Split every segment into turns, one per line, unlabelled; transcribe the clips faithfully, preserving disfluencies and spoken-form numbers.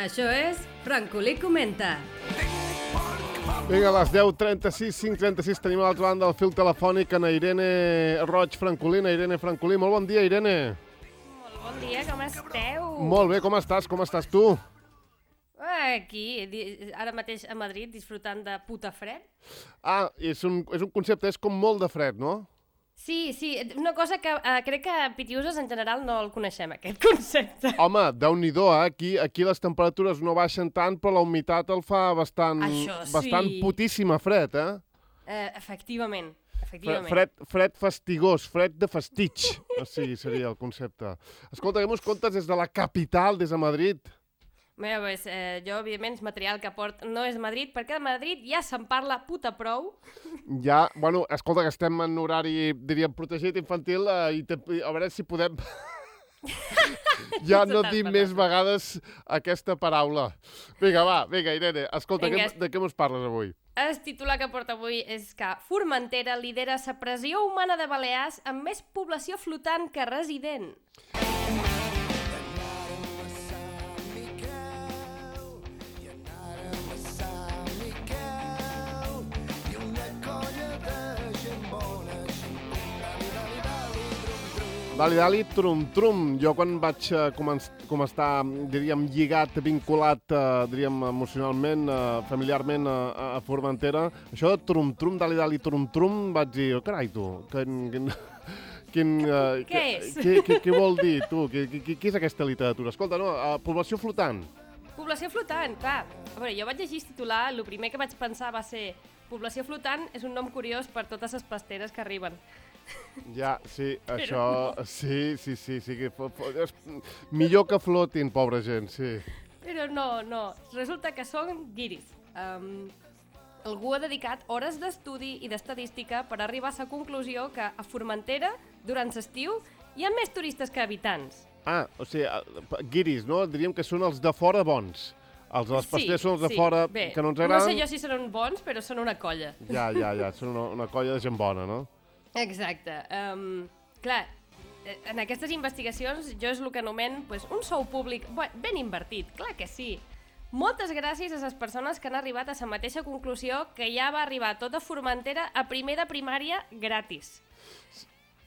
Això és Francolí Comenta.
Vinga, a les deu trenta-sis, cinc trenta-sis, tenim a l'altra banda del fil telefònic en Irene Roig Francolí. Irene Francolí, molt bon dia, Irene.
Molt bon dia, com esteu?
Molt bé, com estàs? Com estàs tu?
Aquí, ara mateix a Madrid, disfrutant de puta fred.
Ah, és un, és un concepte, és com molt de fred, no?
Sí, sí, una cosa que eh, crec que a Pitiuses en general no el coneixem, aquest concepte.
Home, Déu-n'hi-do, eh? Aquí, aquí les temperatures no baixen tant, però la humitat el fa bastant,
Això sí.
bastant putíssima fred, eh?
Eh, efectivament, efectivament.
Fred, fred fastigós, fred de fastig, o sigui, seria el concepte. Escolta, què mos contes des de la capital, des de Madrid?
Bé, pues, eh, jo, evidentment, el material que porto no és Madrid, perquè de Madrid ja se'n parla puta prou.
Ja, bueno, escolta, que estem en horari, diríem, protegit infantil, eh, i te, a veure si podem... ja no dir més vegades aquesta paraula. Vinga, va, vinga, Irene, escolta,
Vinga,
que, de què mos parles avui?
El titular que porta avui és que Formentera lidera la pressió humana de Balears amb més població flotant que resident.
Dali, dali, trum, trum. Jo quan vaig uh, com estar, diríem, lligat, vinculat, uh, diríem, emocionalment, uh, familiarment uh, a Formentera, això de trum, trum, dali, dali, trum, trum, vaig dir, oh, carai, tu, quin... quin, quin uh,
què és?
Què, què, què vol dir, tu? Què, què, què és aquesta literatura? Escolta, no, uh, població flotant.
Població flotant, clar. A veure, jo vaig llegir el titular, el primer que vaig pensar va ser població flotant és un nom curiós per totes les pasteres que arriben.
Ja, sí,
Però
això...
no.
Sí, sí, sí, sí que fo, fo, és millor que flotin, pobra gent, sí.
Però no, no. Resulta que són guiris. Um, algú ha dedicat hores d'estudi i d'estadística per arribar a la conclusió que a Formentera, durant l'estiu, hi ha més turistes que habitants.
Ah, o sigui, guiris, no? Diríem que són els de fora bons. Els de les pasteres
sí,
són els de
sí.
fora
Bé,
que no ens agraden.
No sé jo si són bons, però són una colla.
Ja, ja, ja, són una, una colla de gent bona, no?
Exacte. Um, clar, en aquestes investigacions jo és el que anomen pues, un sou públic ben invertit, clar que sí. Moltes gràcies a les persones que han arribat a la mateixa conclusió que ja va arribar tota Formentera a primer de primària gratis.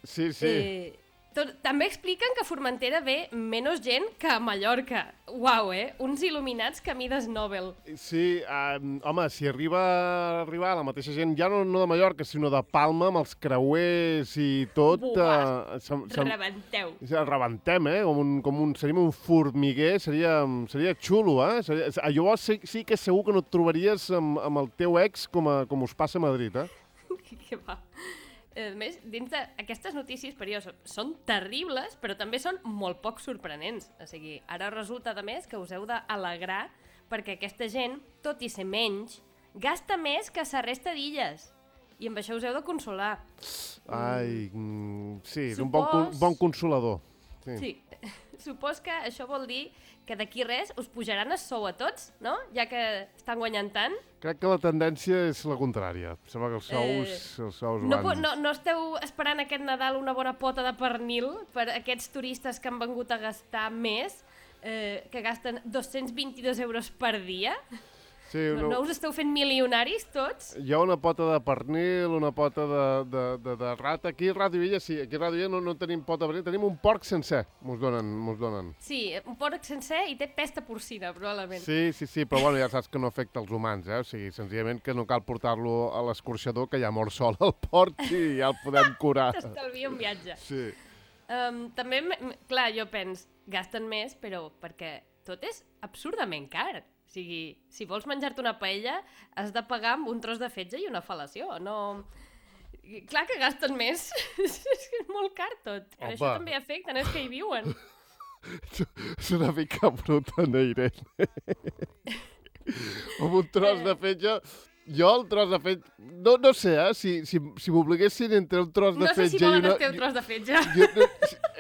Sí, sí.
Eh, tot, també expliquen que a Formentera ve menys gent que a Mallorca. Uau, eh? Uns il·luminats que mides Nobel.
Sí, um, home, si arriba a arribar la mateixa gent, ja no, no de Mallorca, sinó de Palma, amb els creuers i tot...
Buah,
uh, sem, sem,
rebenteu.
Rebentem, eh? Com un, com un, seríem un formiguer, seria, seria xulo, eh? Seria, llavors sí, sí que segur que no et trobaries amb, amb el teu ex com, a, com us passa a Madrid, eh?
Que va. A més, dins d'aquestes notícies per jo són terribles, però també són molt poc sorprenents. O sigui, ara resulta, de més, que us heu d'alegrar perquè aquesta gent, tot i ser menys, gasta més que la resta d'illes. I amb això us heu de consolar.
Ai, mm, sí, és
Supos...
un bon, bon consolador. Sí.
Sí. Supos que això vol dir que d'aquí res us pujaran el sou a tots, no? Ja que estan guanyant tant.
Crec que la tendència és la contrària. Sembla que els sous, eh, els sous
no,
van...
no, no esteu esperant aquest Nadal una bona pota de pernil per aquests turistes que han vengut a gastar més, eh, que gasten dos-cents vint-i-dos euros per dia?
Sí,
no, no us esteu fent milionaris tots?
Hi ha una pota de pernil, una pota de, de, de, de rata. Aquí a Ràdio Illa, sí, aquí a Ràdio Illa no, no tenim pota de pernil, tenim un porc sencer, mos donen, mos donen.
Sí, un porc sencer i té pesta porcina, probablement.
Sí, sí, sí, però bueno, ja saps que no afecta els humans, eh? O sigui, senzillament que no cal portar-lo a l'escorxador, que ja mor sol el porc i ja el podem curar.
T'estalvia un viatge.
Sí.
Um, també, clar, jo pens, gasten més, però perquè tot és absurdament car. O sigui, si vols menjar-te una paella, has de pagar amb un tros de fetge i una fel·lació. No... Clar que gasten més. És molt car tot. Opa. Això també afecta, no és que hi viuen.
És una mica bruta, no, Irene? Amb un tros de fetge... Jo el tros de fetge... No, no sé, eh? Si, si, si m'obliguessin entre un tros de
no
fetge i una...
No sé si volen el teu tros de fetge.
Jo, jo,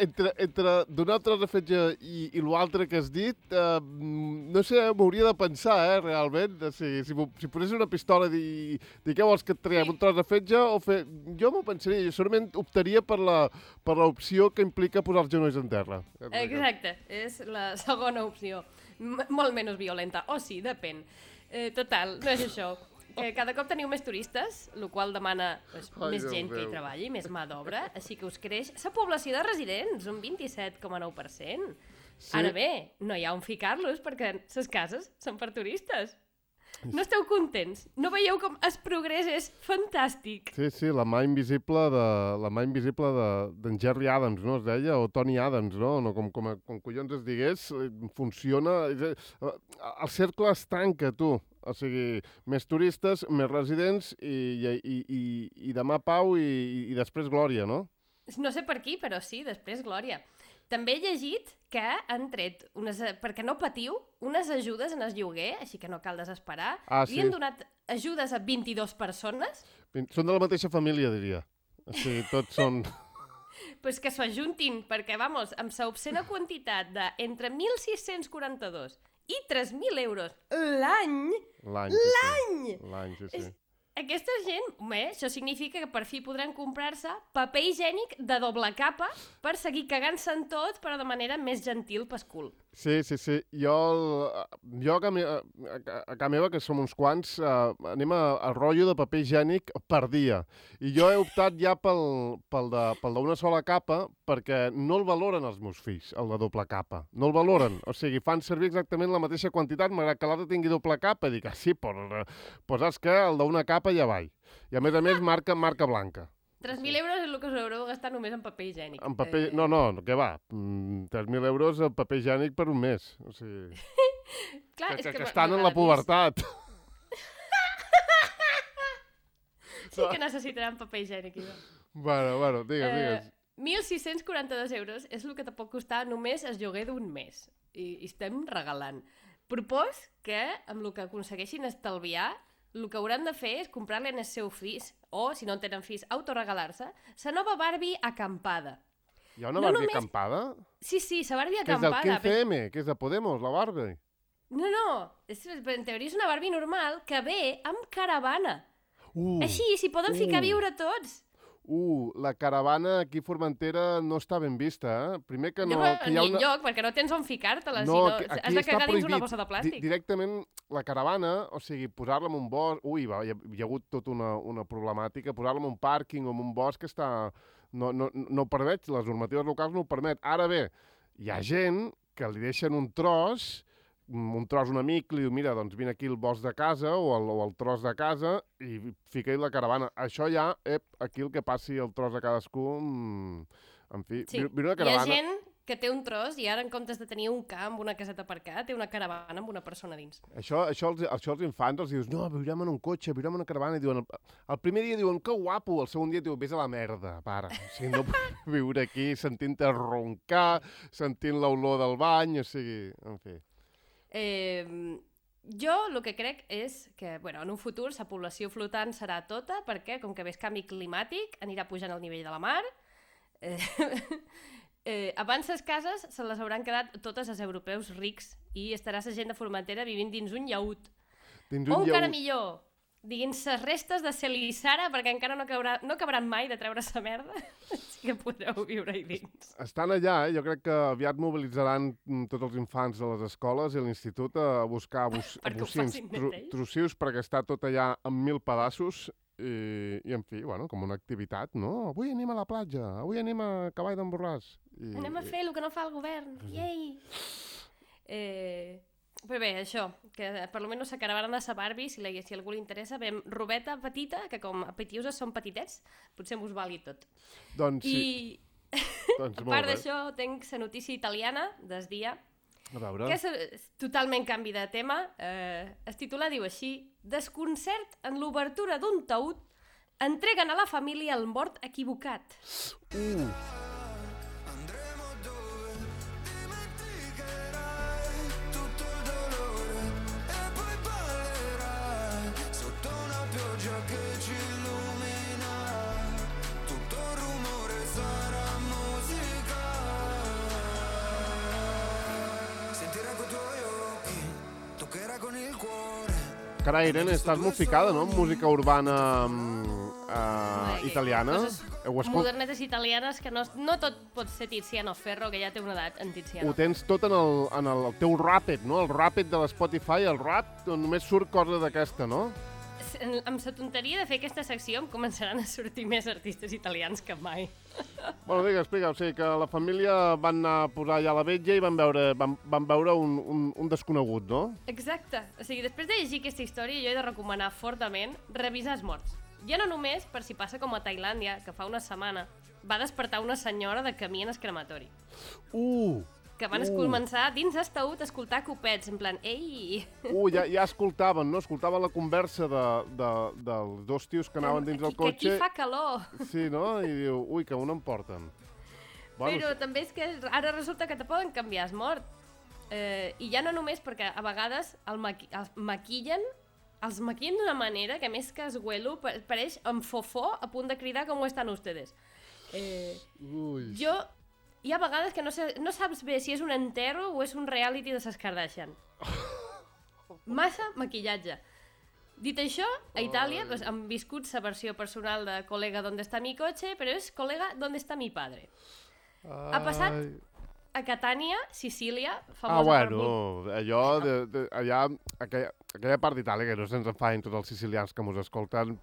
entre entre donar el tros de fetge i, i l'altre que has dit, eh, no sé, m'hauria de pensar, eh, realment. Si, si, si posés una pistola i dir, dir què vols que et traiem, un tros de fetge o fer... Jo m'ho pensaria, jo segurament optaria per la per l'opció que implica posar els genolls en terra.
Exacte, és la segona opció. M molt menys violenta. O sí, depèn. Eh, total, no és això. Que cada cop teniu més turistes, el qual demana pues,
Ai,
més
Déu
gent que hi
meu.
treballi, més mà d'obra, així que us creix la població de residents, un vint-i-set coma nou per cent.
Sí.
Ara bé, no hi ha on ficar-los perquè les cases són per turistes. No esteu contents? No veieu com el progrés és fantàstic?
Sí, sí, la mà invisible de la mà invisible de d'en Jerry Adams, no? Es deia, o Tony Adams, no? No com, com, com collons es digués, eh, funciona... és, eh, El cercle es tanca, tu. O sigui, més turistes, més residents i, i, i, i, i demà pau i, i després glòria, no?
No sé per qui, però sí, després glòria. També he llegit que han tret, unes, perquè no patiu, unes ajudes en el lloguer, així que no cal desesperar.
Ah,
Li
sí.
han donat ajudes a vint-i-dues persones,
Són de la mateixa família, diria. O sigui, tots són...
pues que s'ho ajuntin, perquè, vamos, amb la obscena quantitat de entre mil sis-cents quaranta-dos i tres mil euros l'any,
L'any. sí,
l'any!
Sí. L'any, sí, sí.
És- aquesta gent, home, això significa que per fi podran comprar-se paper higiènic de doble capa per seguir cagant-se en tot, però de manera més gentil pel cul.
Sí, sí, sí. Jo, el, jo a, casa, a, a casa meva, que som uns quants, uh, anem a, a rotllo de paper higiènic per dia. I jo he optat ja pel, pel de- pel d'una sola capa perquè no el valoren els meus fills, el de doble capa. No el valoren. O sigui, fan servir exactament la mateixa quantitat, malgrat que l'altre tingui doble capa. I dic, ah, sí, però, però saps què? El d'una capa ja va. I a més a més, marca, marca blanca.
tres mil euros és el que us haureu de gastar només en paper higiènic.
En paper...
Eh,
No, no, què va? Mm, tres mil euros en paper higiènic per un mes. O sigui,
Clar,
que,
és
que, que
m'ha-
estan
m'ha
en la
agradat
pubertat.
Sí que necessitaran paper higiènic. Iva.
Bueno, bueno, digues,
Eh,
digues.
mil sis-cents quaranta-dos euros és el que te pot costar només el lloguer d'un mes. I, I estem regalant. Propos que, amb el que aconsegueixin estalviar, el que hauran de fer és comprar-li en el seu fills, o, si no en tenen fills, autoregalar-se, la nova Barbie acampada.
Hi ha una
no
Barbie
només-
acampada?
Sí, sí, la Barbie
Que és del
acampada.
quinze eme, que és de Podemos, la Barbie.
No, no, és, en teoria és una Barbie normal que ve amb caravana.
Uh,
Així, s'hi poden ficar a
uh.
viure tots.
uh, la caravana aquí a Formentera no està ben vista, eh? Primer que no...
No,
que
ni
hi ha una...
enlloc, perquè no tens on ficar-te-la.
No,
si
que
no, has
aquí
de
està
cagar dins una
prohibit.
bossa de
Di
plàstic.
directament la caravana, o sigui, posar-la en un bosc... Ui, va, hi ha, hi ha hagut tota una, una problemàtica. Posar-la en un pàrquing o en un bosc està... No, no, no ho permet, les normatives locals no ho permet. Ara bé, hi ha gent que li deixen un tros, un tros un amic, li diu, mira, doncs vine aquí el bosc de casa o el, o el tros de casa i fica-hi la caravana. Això ja, ep, aquí el que passi el tros de cadascú... mm, En fi,
Sí.
viure una
Hi ha
caravana...
gent que té un tros i ara en comptes de tenir un camp, una caseta aparcada, té una caravana amb una persona dins.
Això, això, els, això els infants els dius, no, viurem en un cotxe, viurem en una caravana, i diuen, el, el primer dia diuen, que guapo, el segon dia diuen, vés a la merda, pare. O sigui, no puc viure aquí sentint-te roncar, sentint l'olor del bany, o sigui, en fi.
Eh, jo el que crec és que bueno, en un futur la població flotant serà tota perquè, com que ves canvi climàtic, anirà pujant el nivell de la mar. Eh, eh, abans les cases se les hauran quedat totes els europeus rics i estarà la gent de Formentera vivint dins un llaüt.
Dins
O
un
encara
llaüt.
millor, dins les restes de Celissara, perquè encara no, caurà, no acabaran mai de treure sa merda, així que podreu viure-hi dins.
Estan allà, eh? Jo crec que aviat mobilitzaran mm, tots els infants de les escoles i l'institut a buscar bus,
Perquè ho
bocins
facin
tru,
net ells.
trossius perquè està tot allà en mil pedaços i, i en fi, bueno, com una activitat, no? Avui anem a la platja, avui anem a Cavall d'en Borràs. I,
Anem a fer el que no fa el govern. Iei! Eh, però bé, això, que per almenys la caravana de la Barbie, si, la, si a algú li interessa, veiem robeta petita, que com a Petiuses són petitets, potser m'us vali tot.
Doncs sí,
I
doncs
a
molt
part
bé.
d'això, tenc la notícia italiana des dia,
A veure...
que és eh, totalment canvi de tema. Eh, el titular diu així: desconcert en l'obertura d'un taüt, entreguen a la família el mort equivocat.
Uh, carai, Irene, estàs molt ficada, no?, en música urbana mm, uh, italiana.
Coses,
escol...
modernetes italianes, que no, no tot pot ser Tiziano Ferro, que ja té una edat en Tiziano.
Ho tens tot en el, en el teu Rapid, no? El Rapid de l'Spotify, el rap, només surt cosa d'aquesta, no?
Amb la tonteria de fer aquesta secció em començaran a sortir més artistes italians que mai.
Bueno, digue, explica, o sigui que la família van anar a posar allà la vetlla i van veure, van, van veure un, un, un desconegut, no?
Exacte. O sigui, després de llegir aquesta història, jo he de recomanar fortament revisar els morts. Ja no només per si passa com a Tailàndia, que fa una setmana va despertar una senyora de camí en el crematori.
Uh!
Que van
Uh.
començar dins d'estaut a escoltar copets, en plan, ei...
Uh, ja, ja escoltaven, no? Escoltaven la conversa de, de, dels dos tios que anaven dins del cotxe.
Que aquí fa calor.
Sí, no? I diu, ui, que on em porten.
Bueno, Però també és que ara resulta que te poden canviar el mort. Eh, I ja no només perquè a vegades el, maqui el maquillen, els maquillen d'una manera que més que esguelo pareix amb fofó a punt de cridar com ho estan ustedes. Eh,
Ui.
Jo... Hi ha vegades que no, sé, no saps bé si és un enterro o és un reality de ses Kardashian. Massa maquillatge. Dit això, a Itàlia pues, han viscut la versió personal de Col·lega, ¿dónde está mi coche? Però és Col·lega, ¿dónde está mi padre?
Ai.
Ha passat a Catània, Sicília, famosa
Ah, bueno,
per...
allò, de, de, allà, aquella, aquella part d'Itàlia, que no se'ns enfadin tots els sicilians que mos escolten,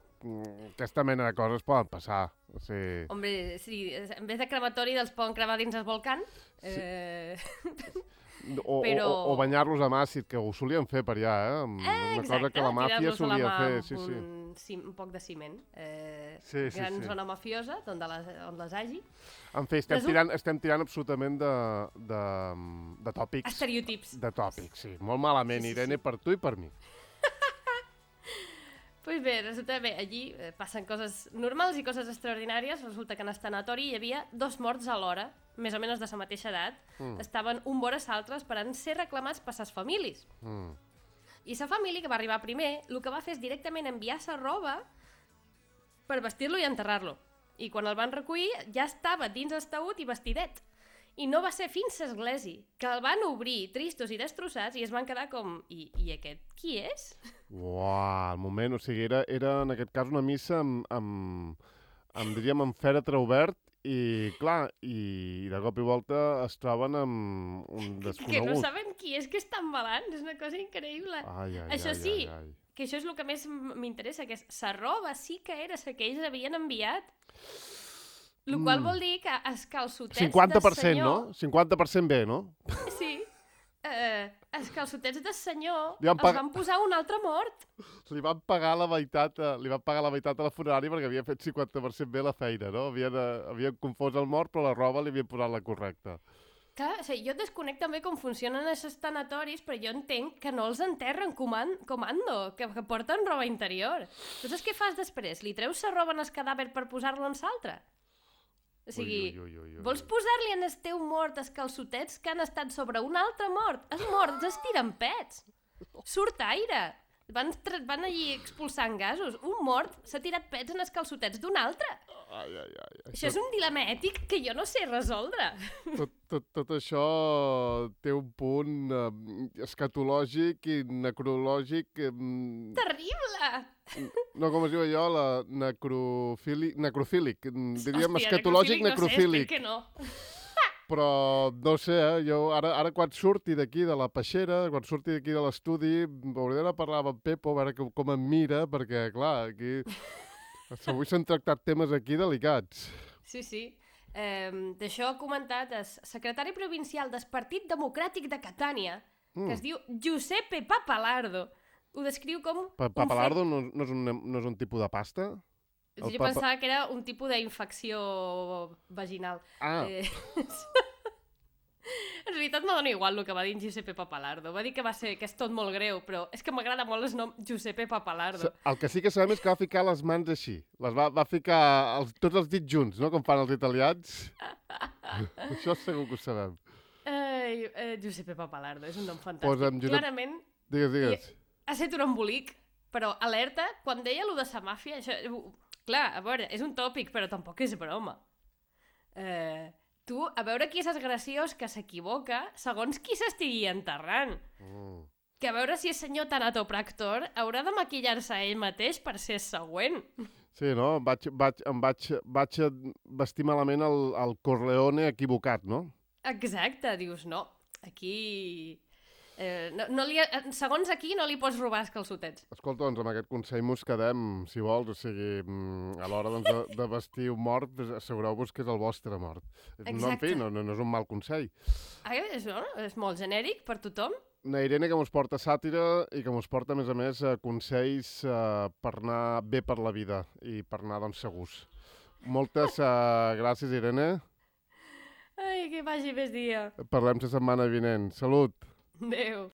aquesta mena de coses poden passar. O sigui...
Hombre, sí, en vez de crematori dels poden cremar dins el volcán. Eh...
O,
Però...
o, o banyar-los amb àcid, que ho solien fer per allà, eh? Amb
Eh,
una
exacte,
cosa que la màfia
tirar-los a la
solia
mà
fer.
amb
Sí, sí.
Un, cim, un poc de ciment. Eh,
Sí, sí,
gran
sí.
zona mafiosa, on, de les, on les hagi.
En fi, estem
Resulta-
tirant, estem tirant absolutament de, de, de tòpics.
Estereotips.
De tòpics, sí. Molt malament,
Sí, sí, sí.
Irene, per tu i per mi.
Pues bé, resulta bé, allí eh, passen coses normals i coses extraordinàries. Resulta que en el tanatori hi havia dos morts alhora, més o menys de la mateixa edat.
Mm.
Estaven un vora l'altre esperant ser reclamats per les famílies.
Mm.
I la família que va arribar primer, el que va fer és directament enviar la roba per vestir-lo i enterrar-lo. I quan el van recollir ja estava dins el taüt i vestidet. I no va ser fins a l'església, que el van obrir tristos i destrossats i es van quedar com... I, i aquest qui és?
Uau, al moment, o sigui, era, era en aquest cas una missa amb, amb, amb diríem, amb fèretre obert i, clar, i de cop i volta es troben amb un
Que
desconegut.
no saben qui és que estan balant, és una cosa increïble.
Ai, ai,
Això
ai,
sí,
ai, ai.
que això és el que més m- m'interessa, que és la roba sí que era la que ells havien enviat. El qual
Mm.
vol dir que els calçotets
cinquanta per
del
cent,
senyor...
no? cinquanta per cent bé, no?
Sí. Eh, els calçotets del senyor
Li van
els
pag-
van posar un altre mort.
Li van pagar la meitat, a, li van pagar la meitat a la funerària perquè havia fet cinquanta per cent bé la feina, no? Havien, eh, havien confós el mort, però la roba li havien posat la correcta.
Clar, o sigui, jo desconec també com funcionen aquests tanatoris, però jo entenc que no els enterren coman comando, que, que porten roba interior. Tu saps què fas després? Li treus la roba en el cadàver per posar-lo en l'altre? O sigui,
Ui, ui, ui, ui, ui.
vols posar-li en el teu mort els calçotets que han estat sobre un altre mort? Els morts es tiren pets. Surt aire. Van, tra- van allí expulsant gasos. Un mort s'ha tirat pets en els calçotets d'un altre.
Ai, ai, ai.
Això és un dilema ètic que jo no sé resoldre.
Tot, tot, tot això té un punt eh, escatològic i necrològic... Eh,
Terrible!
no, com es diu allò? La necrofílic, necrofílic. Diríem
Hòstia,
escatològic,
No sé,
necrofílic.
espero que no.
Però no sé, eh? jo ara, ara quan surti d'aquí de la peixera, quan surti d'aquí de l'estudi, hauré d'anar a parlar amb en Pepo, a veure com, com em mira, perquè, clar, aquí... Avui s'han tractat temes aquí delicats.
Sí, sí. Eh, D'això ha comentat el secretari provincial del Partit Democràtic de Catània,
Mm.
que es diu Giuseppe Papalardo. Ho descriu com...
Pa
un
Papalardo no, no, és un, no és un tipus de pasta?
fet-
El
Jo
papa-
pensava que era un tipus d'infecció vaginal.
Ah,
Eh, en realitat me dona igual el que va dir en Giuseppe Papalardo. Va dir que va ser que és tot molt greu, però és que m'agrada molt el nom Giuseppe Papalardo.
el que sí que sabem és que va ficar les mans així. Les va, va ficar els, tots els dits junts, no? Com fan els italians. Això segur que ho sabem.
Ai, eh, Giuseppe Papalardo, és un nom fantàstic.
Posa'm Josep-
Clarament
Digues, digues.
ha estat un embolic, però alerta, quan deia allò de sa màfia, això, uh, clar, a veure, és un tòpic, però tampoc és broma. Eh, tu, a veure qui és el graciós que s'equivoca segons qui s'estigui enterrant.
Mm.
Que a veure si el senyor tanatopractor haurà de maquillar-se a ell mateix per ser el següent.
Sí, no? Vaig, vaig, em vaig, vaig vestir malament el, el Corleone equivocat, no?
Exacte, dius, no, aquí... Eh, no, no li, segons aquí no li pots robar els calçotets.
Escolta, doncs amb aquest consell mos quedem, si vols, o sigui, mm, a l'hora doncs, de, de vestir un mort, pues, assegureu-vos que és el vostre mort. No, en fi, no, no, no és un mal consell.
Ah, és, no? És molt genèric per tothom.
Una Irene que mos porta sàtira i que mos porta, a més a més, eh, consells eh, per anar bé per la vida i per anar, doncs, segurs. Moltes eh, gràcies, Irene.
Ai, que vagi més dia.
Parlem la setmana vinent. Salut!
Adéu.